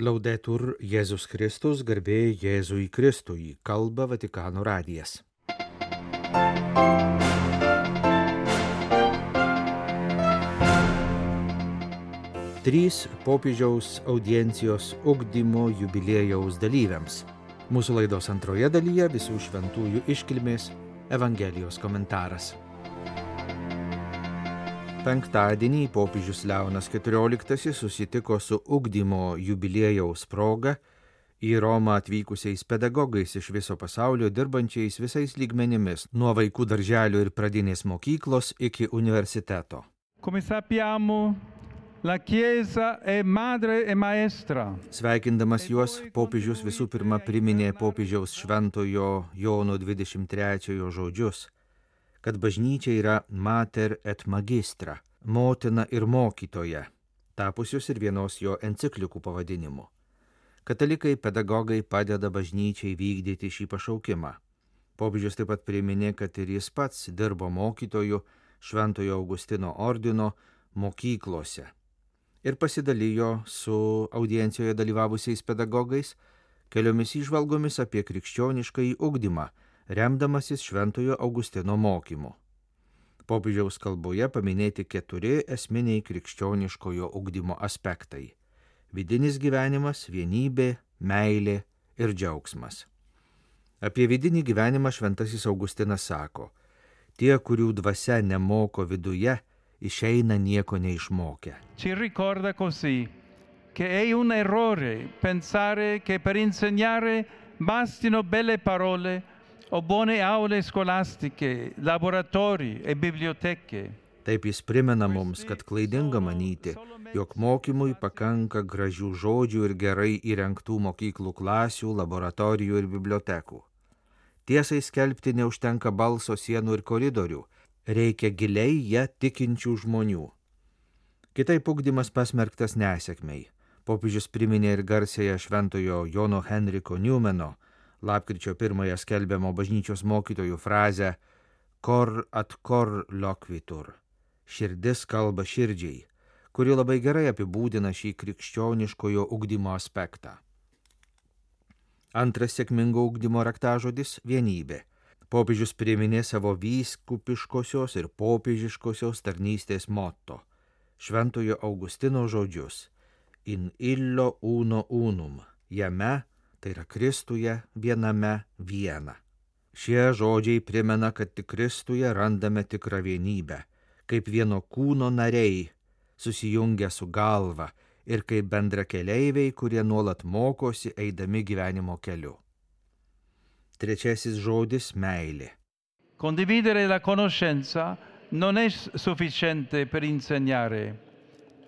Laudetur Jėzus Kristus, garbė Jėzui Kristui, kalba Vatikano radijas. Trys popiežiaus audiencijos ugdymo jubiliejaus dalyviams. Mūsų laidos antroje dalyje visų šventųjų iškilmės Evangelijos komentaras. Penktadienį popiežius Leonas XIV susitiko su ugdymo jubiliejaus proga į Romą atvykusiais pedagogais iš viso pasaulio dirbančiais visais lygmenimis, nuo vaikų darželio ir pradinės mokyklos iki universiteto. Come sappiamo, la Chiesa è madre e maestra. Sveikindamas juos, popiežius visų pirma priminė popiežiaus šventojo Jono 23 žodžius, kad bažnyčia yra mater et magistra, motina ir mokytoja, tapusius ir vienos jo enciklikų pavadinimu. Katalikai pedagogai padeda bažnyčiai vykdyti šį pašaukimą. Popiežius taip pat priminė, kad ir jis pats dirbo mokytoju Šventojo Augustino ordino mokyklose ir pasidalijo su audiencijoje dalyvavusiais pedagogais keliomis įžvalgomis apie krikščioniškąjį ugdymą, remdamasis Šventojo Augustino mokymu. Popiežiaus kalboje paminėti 4 esminiai krikščioniškojo ugdymo aspektai – vidinis gyvenimas, vienybė, meilė ir džiaugsmas. Apie vidinį gyvenimą šventasis Augustinas sako: tie, kurių dvasia nemoko viduje, išeina nieko neišmokę. Ci ricorda così che è un errore pensare che per insegnare bastino belle parole o buone aule scolastiche, laboratori e biblioteche. Taip jis primena mums, kad klaidinga manyti, jog mokymui pakanka gražių žodžių ir gerai įrengtų mokyklų klasių, laboratorijų ir bibliotekų. Tiesai skelbti neužtenka balso, sienų ir koridorių, reikia giliai ją tikinčių žmonių. Kitaip ugdymas pasmerktas nesėkmei. Popiežius priminė ir garsiąją šventojo Jono Henriko Newmano lapkričio 1 skelbiamo bažnyčios mokytojų frazę cor ad cor loquitur, širdis kalba širdžiai, kuri labai gerai apibūdina šį krikščioniškojo ugdymo aspektą. Antras sėkmingo ugdymo raktažodis – vienybė. Popiežius priminė savo vyskupiškosios ir popiežiškosios tarnystės motto, Šventojo Augustino žodžius in illo uno unum, jame, tai yra Kristuje, viename viena. Šie žodžiai primena, kad tik Kristuje randame tikrą vienybę, kaip vieno kūno nariai, susijungę su galva ir kaip bendrakeleiviai, kurie nuolat mokosi eidami gyvenimo keliu. Trečiasis žodis – meilė. Condividere la conoscenza non è sufficiente per insegnare,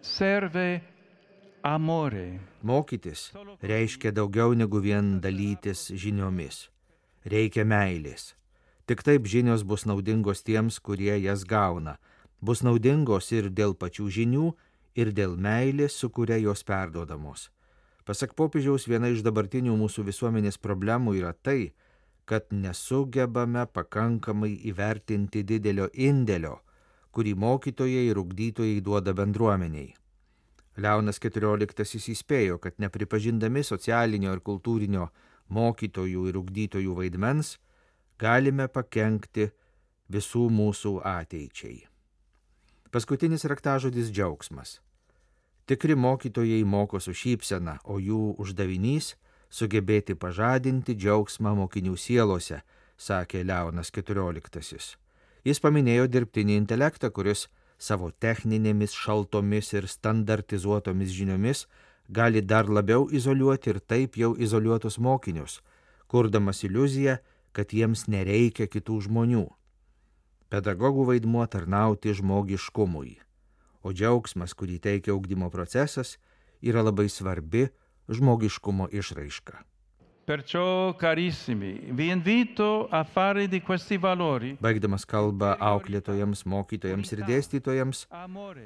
serve amore. Mokytis reiškia daugiau negu vien dalytis žiniomis. Reikia meilės. Tik taip žinios bus naudingos tiems, kurie jas gauna. Bus naudingos ir dėl pačių žinių, ir dėl meilės, su kuria jos perduodamos. Pasak popiežiaus, viena iš dabartinių mūsų visuomenės problemų yra tai, kad nesugebame pakankamai įvertinti didelio indėlio, kurį mokytojai ir ugdytojai duoda bendruomeniai. Leonas XIV įspėjo, kad nepripažindami socialinio ir kultūrinio mokytojų ir ugdytojų vaidmens, galime pakenkti visų mūsų ateičiai. Paskutinis raktažodis – džiaugsmas. Tikri mokytojai moko su šypsena, o jų uždavinys – sugebėti pažadinti džiaugsmą mokinių sielose, sakė Leonas XIV. Jis paminėjo dirbtinį intelektą, kuris savo techninėmis, šaltomis ir standartizuotomis žiniomis gali dar labiau izoliuoti ir taip jau izoliuotus mokinius, kurdamas iliuziją, kad jiems nereikia kitų žmonių. Pedagogų vaidmuo tarnauti žmogiškumui, o džiaugsmas, kurį teikia ugdymo procesas, yra labai svarbi žmogiškumo išraiška. Perciò, carissimi, vi invito a fare di questi valori. Baigdamas kalbą auklėtojams, mokytojams ir dėstytojams,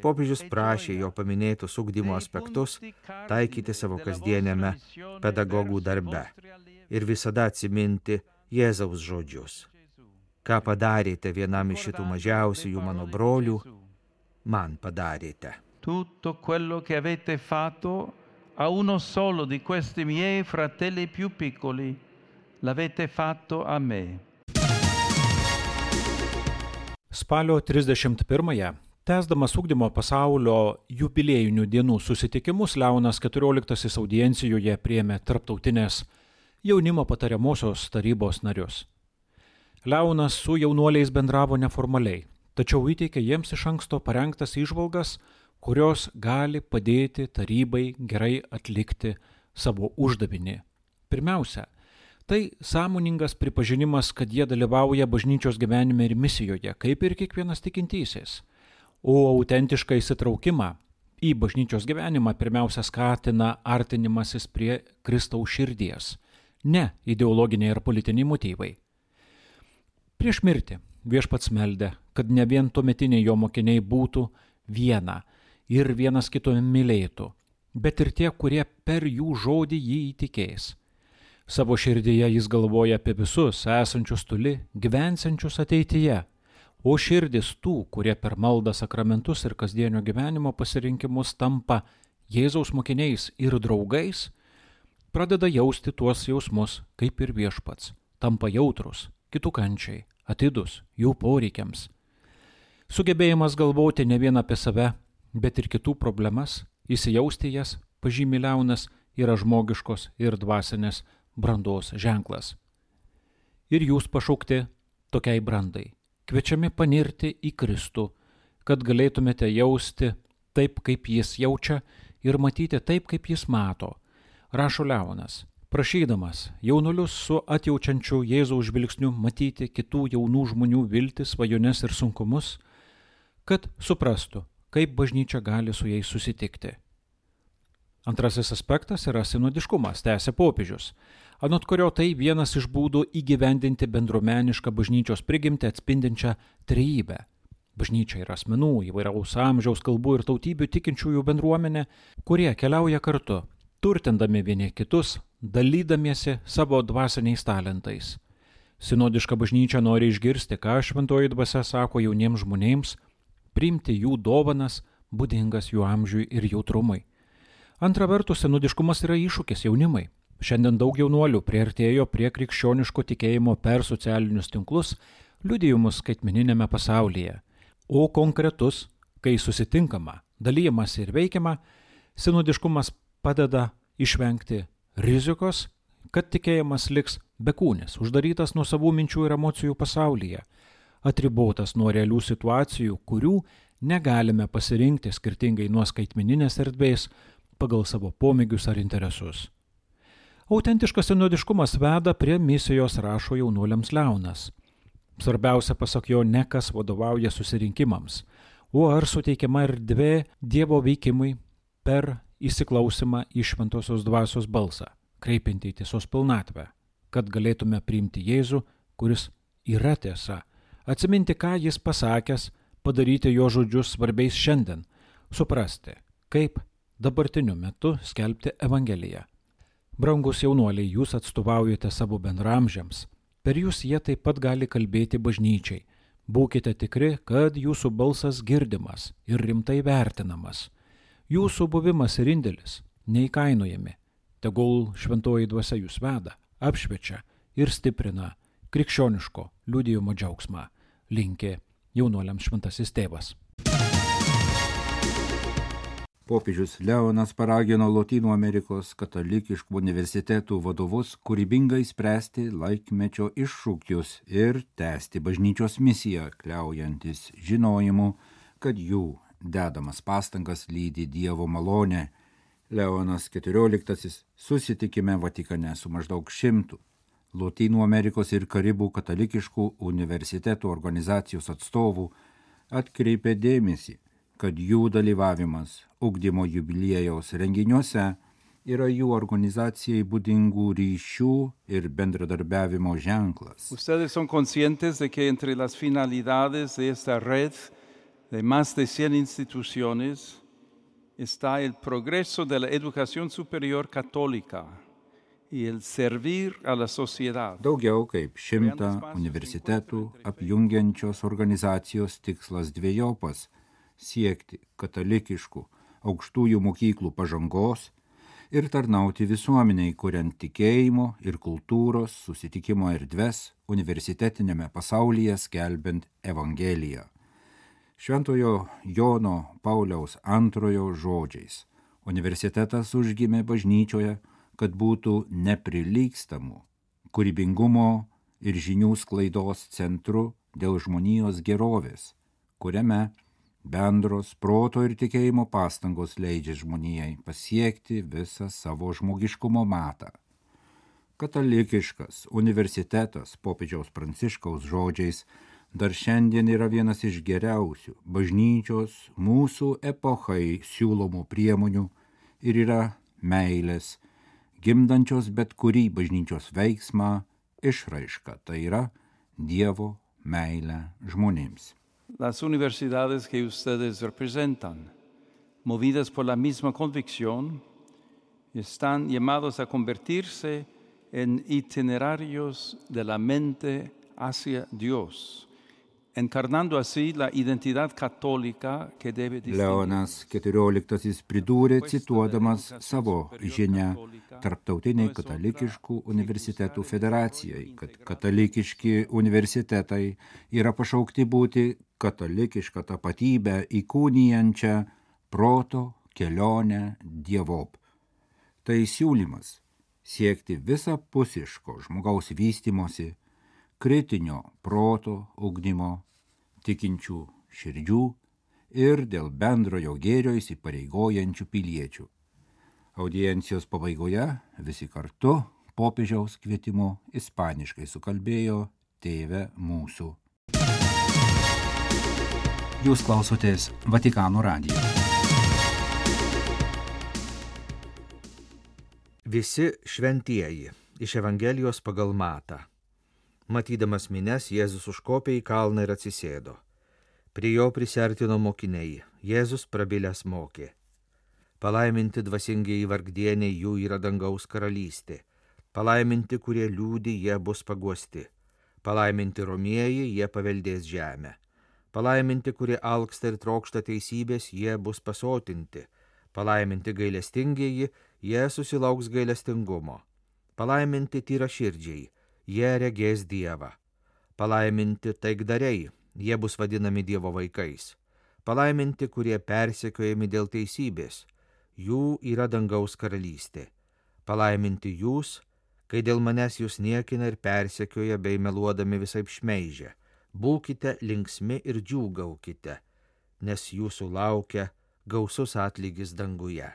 popiežius prašė jo paminėtus ugdymo aspektus taikyti savo kasdieniame pedagogų darbe ir visada atsiminti Jėzaus žodžius. Ką padarėte vienam iš šitų mažiausiųjų mano brolių, man padarėte. Tutto quello che avete fatto a uno solo di questi miei fratelli più piccoli, l'avete fatto a me. Spalio 31-ąją, tęsdamas ugdymo pasaulio jubiliejinių dienų susitikimus, Leonas XIV audiencijoje priėmė tarptautinės jaunimo patariamosios tarybos narius. Leonas su jaunuoliais bendravo neformaliai, tačiau įteikė jiems iš anksto parengtas įžvalgas, kurios gali padėti tarybai gerai atlikti savo uždavinį. Pirmiausia, tai sąmoningas pripažinimas, kad jie dalyvauja bažnyčios gyvenime ir misijoje, kaip ir kiekvienas tikintysis. O autentišką įsitraukimą į bažnyčios gyvenimą pirmiausia skatina artinimasis prie Kristaus širdies, ne ideologiniai ir politiniai motyvai. Prieš mirtį Viešpats meldė, kad ne vien tuometiniai jo mokiniai būtų viena ir vienas kito mylėtų, bet ir tie, kurie per jų žodį jį įtikės. Savo širdyje jis galvoja apie visus esančius toli, gyvensiančius ateityje, o širdis tų, kurie per maldą, sakramentus ir kasdienio gyvenimo pasirinkimus tampa Jėzaus mokiniais ir draugais, pradeda jausti tuos jausmus kaip ir Viešpats, tampa jautrus kitų kančiai, atidus jų poreikiams. Sugebėjimas galvoti ne vien apie save, bet ir kitų problemas, įsijausti jas, pažymi Leonas, yra žmogiškos ir dvasinės brandos ženklas. Ir jūs pašaukti tokiai brandai, kviečiami panirti į Kristų, kad galėtumėte jausti taip, kaip jis jaučia ir matyti taip, kaip jis mato, rašo Leonas, prašydamas jaunulius su atjaučiančiu Jėzaus žvilgsniu matyti kitų jaunų žmonių viltis, svajones ir sunkumus, kad suprastų, kaip bažnyčia gali su jais susitikti. Antrasis aspektas yra sinodiškumas, tęsia popiežius, anot kurio tai vienas iš būdų įgyvendinti bendruomenišką bažnyčios prigimtį atspindinčią trejybę. Bažnyčia yra asmenų, įvairaus amžiaus, kalbų ir tautybių tikinčiųjų bendruomenė, kurie keliauja kartu, turtindami vieni kitus, dalydamiesi savo dvasiniais talentais. Sinodiška bažnyčia nori išgirsti, ką šventoji dvasia sako jauniems žmonėms, priimti jų dovanas, būdingas jų amžiui ir jautrumui. Antra vertus, sinodiškumas yra iššūkis jaunimai. Šiandien daug jaunuolių priartėjo prie krikščioniško tikėjimo per socialinius tinklus, liudijimus skaitmeninėme pasaulyje. O konkretus, kai susitinkama, dalyjamasi ir veikiama, sinodiškumas padeda išvengti rizikos, kad tikėjimas liks bekūnis, uždarytas nuo savų minčių ir emocijų pasaulyje, atribotas nuo realių situacijų, kurių negalime pasirinkti skirtingai nuo skaitmeninės erdvės pagal savo pomėgius ar interesus. Autentiškas sinodiškumas veda prie misijos, rašo jaunuoliams Leonas. Svarbiausia, pasak jo, ne kas vadovauja susirinkimams, o ar suteikiama erdvė Dievo veikimui per įsiklausimą į šventosios dvasios balsą, kreipiantį į tiesos pilnatvę, kad galėtume priimti Jėzų, kuris yra tiesa, atsiminti, ką jis pasakęs, padaryti jo žodžius svarbiais šiandien, suprasti, kaip dabartiniu metu skelbti Evangeliją. Brangus jaunuoliai, jūs atstovaujate savo bendramžiams, per jūs jie taip pat gali kalbėti bažnyčiai. Būkite tikri, kad jūsų balsas girdimas ir rimtai vertinamas. Jūsų buvimas ir indėlis neįkainojami. Tegul šventoji dvasia jūs veda, apšviečia ir stiprina krikščioniško liudijimo džiaugsmą, linki jaunuoliams šventasis tėvas. Popiežius Leonas paragino Lotynų Amerikos katalikiškų universitetų vadovus kūrybingai spręsti laikmečio iššūkius ir tęsti bažnyčios misiją, kliaujantis žinojimu, kad jų dedamas pastangas lydi Dievo malonė. Leonas XIV susitikime Vatikane su maždaug 100 Lotynų Amerikos ir Karibų katalikiškų universitetų organizacijos atstovų atkreipė dėmesį, kad jų dalyvavimas ugdymo jubiliejaus renginiuose yra jų organizacijai būdingų ryšių ir bendradarbiavimo ženklas. Ustedes son conscientes de que entre las finalidades de esta red de más de 100 instituciones está el progreso de la educación superior católica y el servir a la sociedad. Daugiau kaip 100 universitetų apjungiančios organizacijos tikslas dvejopas – siekti katalikiškų aukštųjų mokyklų pažangos, ir tarnauti visuomeniai, kuriant tikėjimo ir kultūros susitikimo erdves universitetinėme pasaulyje skelbiant Evangeliją. Šventojo Jono Pauliaus II žodžiais universitetas užgimė bažnyčioje, kad būtų neprilygstamų, kūrybingumo ir žinių sklaidos centru dėl žmonijos gerovės, kuriame bendros proto ir tikėjimo pastangos leidžia žmonijai pasiekti visą savo žmogiškumo matą. Katalikiškas universitetas popiežiaus Pranciškaus žodžiais dar šiandien yra vienas iš geriausių bažnyčios mūsų epochai siūlomų priemonių ir yra meilės, gimdančios bet kurį bažnyčios veiksmą išraiška, tai yra Dievo meilę žmonėms. Las universidades que ustedes representan, movidas por la misma convicción, están llamados a convertirse en itinerarios de la mente hacia Dios, encarnando así la identidad católica que debe distinguir. Leonas XIV pridūrė, cituodamas savo žinią Tarptautiniai katalikiškų universitetų federacijai, kad katalikiški universitetai yra pašaukti būti katalikišką tapatybę įkūnijančią proto kelionę dievop. Tai siūlymas siekti visapusiško žmogaus vystymosi, kritinio proto ugdymo, tikinčių širdžių ir dėl bendrojo gėrio įsipareigojančių piliečių. Audiencijos pabaigoje visi kartu popiežiaus kvietimu ispaniškai sukalbėjo Tėve mūsų. Jūs klausotės Vatikano radijo. Visi šventieji iš Evangelijos pagal Matą. Matydamas mines, Jėzus užkopė į kalną ir atsisėdo. Prie jo prisiartino mokiniai. Jėzus prabilęs mokė. Palaiminti dvasingieji vargdieniai, jų yra dangaus karalystė. Palaiminti, kurie liūdi, jie bus paguosti. Palaiminti romieji, jie paveldės žemę. Palaiminti, kurie alksta ir trokšta teisybės, jie bus pasotinti. Palaiminti gailestingieji, jie susilauks gailestingumo. Palaiminti tyraširdžiai, jie regės Dievą. Palaiminti taikdariai, jie bus vadinami Dievo vaikais. Palaiminti, kurie persekiojami dėl teisybės, jų yra dangaus karalystė. Palaiminti jūs, kai dėl manęs jūs niekina ir persekioja bei meluodami visaip šmeižia. Būkite linksmi ir džiūgaukite, nes jūsų laukia gausus atlygis danguje.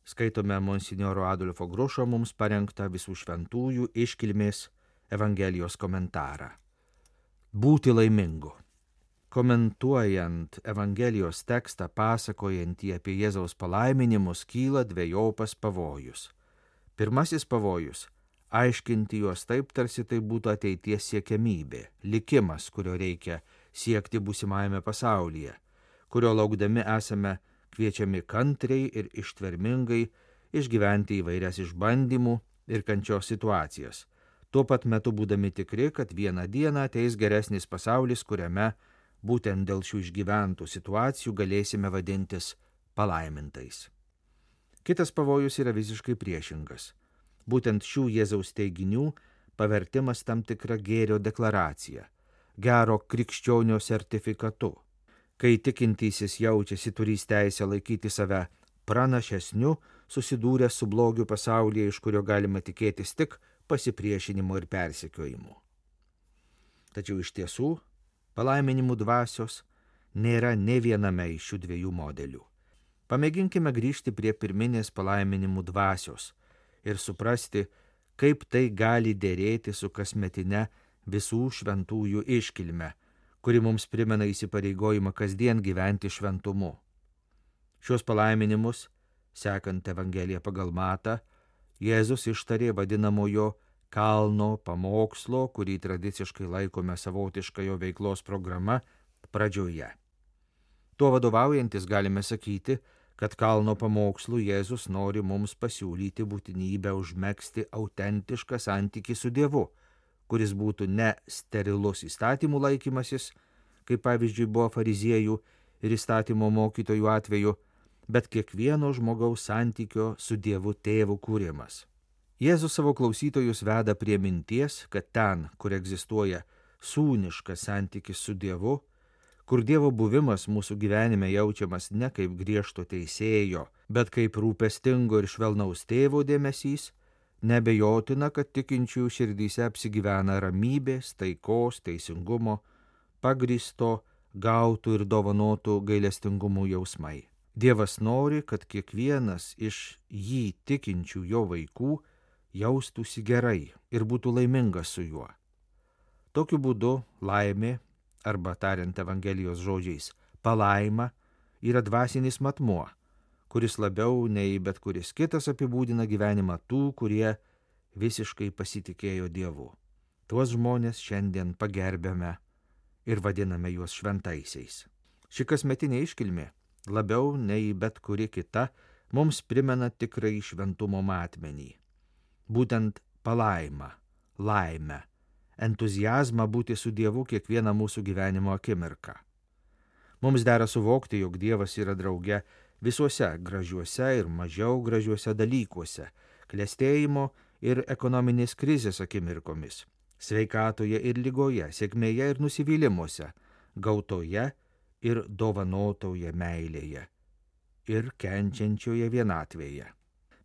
Skaitome monsinjoro Adolfo Grušo mums parengtą visų šventųjų iškilmės Evangelijos komentarą. Būti laimingu. Komentuojant Evangelijos tekstą pasakojantį apie Jėzaus palaiminimus, kyla dvejopas pavojus. Pirmasis pavojus – aiškinti juos taip, tarsi tai būtų ateities siekiamybė, likimas, kurio reikia siekti būsimajame pasaulyje, kurio laukdami esame kviečiami kantriai ir ištvermingai išgyventi įvairias išbandymų ir kančios situacijas, tuo pat metu būdami tikri, kad vieną dieną ateis geresnis pasaulis, kuriame būtent dėl šių išgyventų situacijų galėsime vadintis palaimintais. Kitas pavojus yra visiškai priešingas. Būtent šių Jėzaus teiginių pavertimas tam tikra gėrio deklaracija, gero krikščionio sertifikatu, kai tikintysis jaučiasi turys teisę laikyti save pranašesniu, susidūręs su blogiu pasaulyje, iš kurio galima tikėtis tik pasipriešinimu ir persekiojimu. Tačiau iš tiesų, palaiminimų dvasios nėra nė viename iš šių dviejų modelių. Pamėginkime grįžti prie pirminės palaiminimų dvasios ir suprasti, kaip tai gali dėrėti su kasmetine visų šventųjų iškilme, kuri mums primena įsipareigojimą kasdien gyventi šventumu. Šios palaiminimus, sekant Evangeliją pagal Matą, Jėzus ištarė vadinamojo kalno pamokslo, kurį tradiciškai laikome savotiška jo veiklos programa, pradžioje. Tuo vadovaujantis galime sakyti, kad kalno pamokslų Jėzus nori mums pasiūlyti būtinybę užmegzti autentišką santykį su Dievu, kuris būtų ne sterilus įstatymų laikymasis, kaip pavyzdžiui buvo fariziejų ir įstatymo mokytojų atveju, bet kiekvieno žmogaus santykio su Dievu Tėvu kūrimas. Jėzus savo klausytojus veda prie minties, kad ten, kur egzistuoja sūniškas santykis su Dievu, kur Dievo buvimas mūsų gyvenime jaučiamas ne kaip griežto teisėjo, bet kaip rūpestingo ir švelnaus tėvo dėmesys, nebejotina, kad tikinčiųjų širdyse apsigyvena ramybės, taikos, teisingumo, pagrįsto, gautų ir dovanotų gailestingumų jausmai. Dievas nori, kad kiekvienas iš jį tikinčių jo vaikų jaustųsi gerai ir būtų laimingas su juo. Tokiu būdu laimė, arba tariant Evangelijos žodžiais, palaima yra dvasinis matmuo, kuris labiau nei bet kuris kitas apibūdina gyvenimą tų, kurie visiškai pasitikėjo Dievu. Tuos žmonės šiandien pagerbėme ir vadiname juos šventaisiais. Ši kasmetinė iškilmė, labiau nei bet kuri kita, mums primena tikrai šventumo matmenį. Būtent palaimą, laimę, entuziazmą būti su Dievu kiekvieną mūsų gyvenimo akimirką. Mums dera suvokti, jog Dievas yra drauge visuose gražiuose ir mažiau gražiuose dalykuose, klestėjimo ir ekonominės krizės akimirkomis, sveikatoje ir ligoje, sėkmėje ir nusivylimuose, gautoje ir dovanotoje meilėje ir kenčiančioje vienatvėje.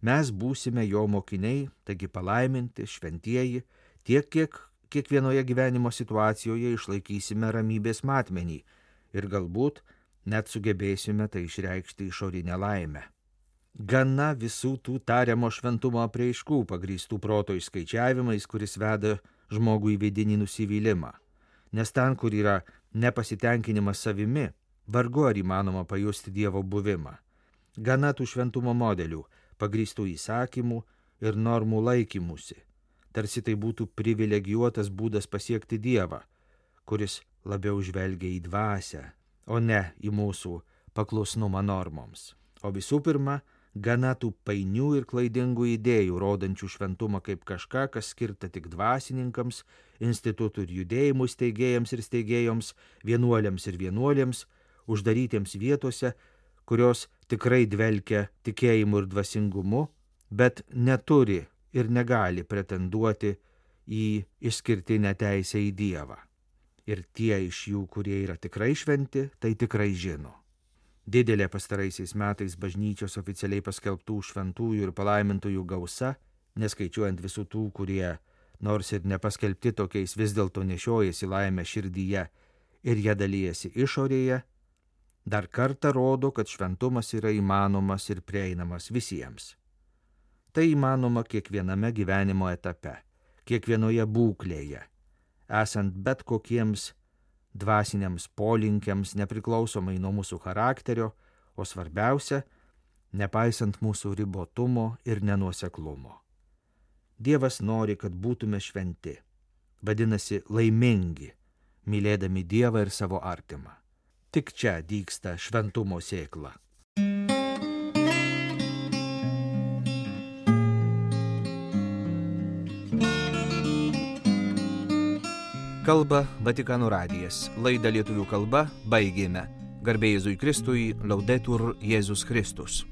Mes būsime jo mokiniai, taigi palaiminti, šventieji, tiek, kiek kiekvienoje gyvenimo situacijoje išlaikysime ramybės matmenį ir galbūt net sugebėsime tai išreikšti išorinę laimę. Gana visų tų tariamo šventumo apraiškų pagrįstų proto išskaičiavimais, kuris veda žmogų į vidinį nusivylimą. Nes ten, kur yra nepasitenkinimas savimi, vargu ar įmanoma pajusti Dievo buvimą. Gana tų šventumo modelių, pagrįstų įsakymų ir normų laikymusi. Tarsi tai būtų privilegijuotas būdas pasiekti Dievą, kuris labiau žvelgia į dvasią, o ne į mūsų paklusnumą normoms. O visų pirma, gana tų painių ir klaidingų idėjų, rodančių šventumą kaip kažką, kas skirta tik dvasininkams, institutų ir judėjimų steigėjams ir steigėjoms, vienuoliams ir vienuolėms, uždarytiems vietose, kurios tikrai dvelkia tikėjimu ir dvasingumu, bet neturi ir negali pretenduoti į išskirtinę teisę į Dievą. Ir tie iš jų, kurie yra tikrai šventi, tai tikrai žino. Didelė pastaraisiais metais bažnyčios oficialiai paskelbtų šventųjų ir palaimintųjų gausa, neskaičiuojant visų tų, kurie, nors ir nepaskelbti tokiais, vis dėlto nešiojasi laimę širdyje ir ją dalyjasi išorėje, dar kartą rodo, kad šventumas yra įmanomas ir prieinamas visiems. Tai įmanoma kiekviename gyvenimo etape, kiekvienoje būklėje, esant bet kokiems dvasiniams polinkiams nepriklausomai nuo mūsų charakterio, o svarbiausia, nepaisant mūsų ribotumo ir nenuoseklumo. Dievas nori, kad būtume šventi, vadinasi laimingi, mylėdami Dievą ir savo artimą. Tik čia dygsta šventumo sėkla. Kalba Vatikano radijas. Laidą lietuvių kalba baigėme. Garbė Jėzui Kristui, Laudetur Jėzus Kristus.